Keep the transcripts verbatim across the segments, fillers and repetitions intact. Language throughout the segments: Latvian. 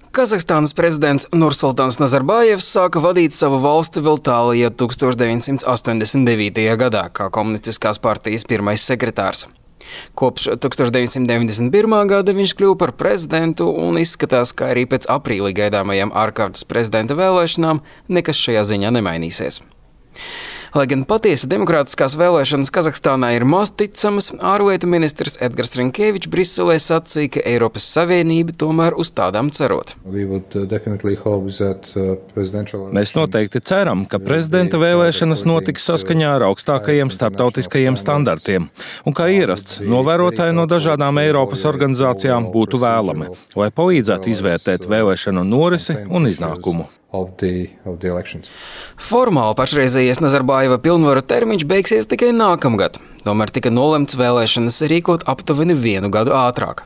Kazahstānas prezidents Nursultāns Nazarbājevs sāka vadīt savu valsti vēl tālajā tukstovs deviņsimt astoņdesmit devītajā gadā kā komunistiskās partijas pirmais sekretārs. Kopš tukstovs deviņsimt deviņdesmit pirmā gada viņš kļuva par prezidentu un izskatās, ka arī pēc aprīlī gaidāmajām ārkārtas prezidenta vēlēšanām nekas šajā ziņā nemainīsies. Lai gan patiesi demokrātiskās vēlēšanas Kazahstānā ir maz ticamas, ārlietu ministrs Edgars Rinkēvičs Briselē sacīja, ka Eiropas Savienība tomēr uz tādām cerot. Mēs noteikti ceram, ka prezidenta vēlēšanas notiks saskaņā ar augstākajiem starptautiskajiem standartiem, un kā ierasts, novērotāji no dažādām Eiropas organizācijām būtu vēlami, lai palīdzētu izvērtēt vēlēšanu norisi un iznākumu. Of the, of the elections. Formāli pašreizējais Nazarbājeva pilnvaru termiņš beigsies tikai nākamgad, tomēr tika nolemts vēlēšanas rīkot aptuveni vienu gadu ātrāk.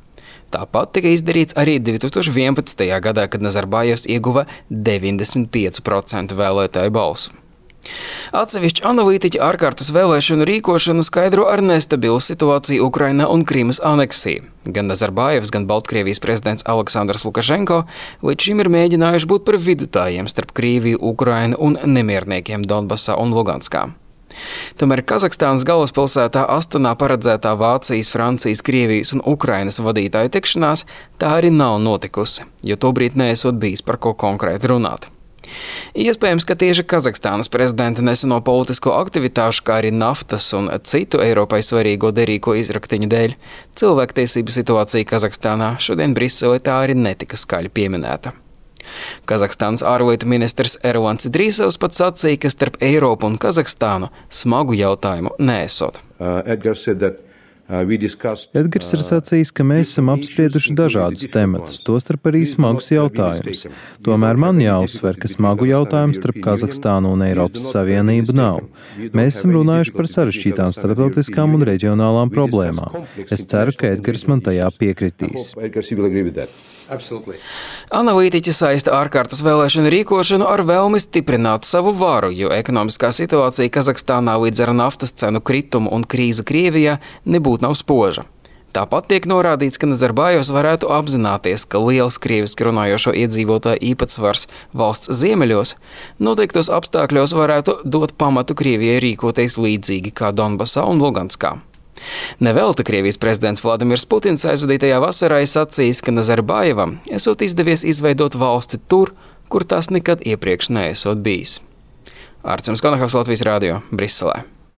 Tāpat tika izdarīts arī divi tūkstoši vienpadsmitajā gadā, kad Nazarbājevs ieguva deviņdesmit pieci procenti vēlētāju balsu. Atsevišķi analītiķi ārkārtas vēlēšanu rīkošanu skaidro ar nestabilu situāciju Ukrainā un Krimas aneksiju. Gan Nazarbājevs, gan Baltkrievijas prezidents Aleksandrs Lukašenko līdz šim ir mēģinājuši būt par vidutājiem starp Krieviju, Ukrainu un nemierniekiem Donbasā un Luganskā. Tomēr Kazahstānas galvaspilsētā Astanā paredzētā Vācijas, Francijas, Krievijas un Ukrainas vadītāju tikšanās tā arī nav notikusi, jo tobrīd neesot bijis par ko konkrēti runāt. Iespējams, ka tieši Kazahstānas prezidenta neseno politisko aktivitāšu, kā arī naftas un citu Eiropai svarīgo derīgo izraktiņu dēļ, cilvēktiesību situācija Kazahstānā šodien Briselē tā arī netika skaļi pieminēta. Kazahstānas ārlietu ministrs Ervans Idrīsovs pat sacīja, ka starp Eiropu un Kazahstānu smagu jautājumu neesot. Uh, Edgars said that Edgars ir sacījis, ka mēs esam apsprieduši dažādus tematus, tostarp arī smagus jautājumus. Tomēr man jāuzsver, ka smagu jautājumu starp Kazahstānu un Eiropas Savienību nav. Mēs esam runājuši par sarežģītām starptautiskām un reģionālām problēmām. Es ceru, ka Edgars man tajā piekritīs. Analītiķi saista ārkārtas vēlēšanu rīkošanu ar vēlmi stiprināt savu varu, jo ekonomiskā situācija Kazahstānā līdz ar naftas cenu kritumu un krīze Krievijā nebūtu nav spoža. Tāpat tiek norādīts, ka Nazarbājevs varētu apzināties, ka liels krieviski runājošo iedzīvotāju īpatsvars valsts ziemeļos noteiktos apstākļos varētu dot pamatu Krievijai rīkoties līdzīgi kā Donbasā un Luganskā. Nevelti Krievijas prezidents Vladimirs Putins aizvadītajā vasarā sacījis, ka Nazarbājevam esot izdevies izveidot valsti tur, kur tas nekad iepriekš neesot bijis. Arcums Konahavs, Latvijas radio, Briselē.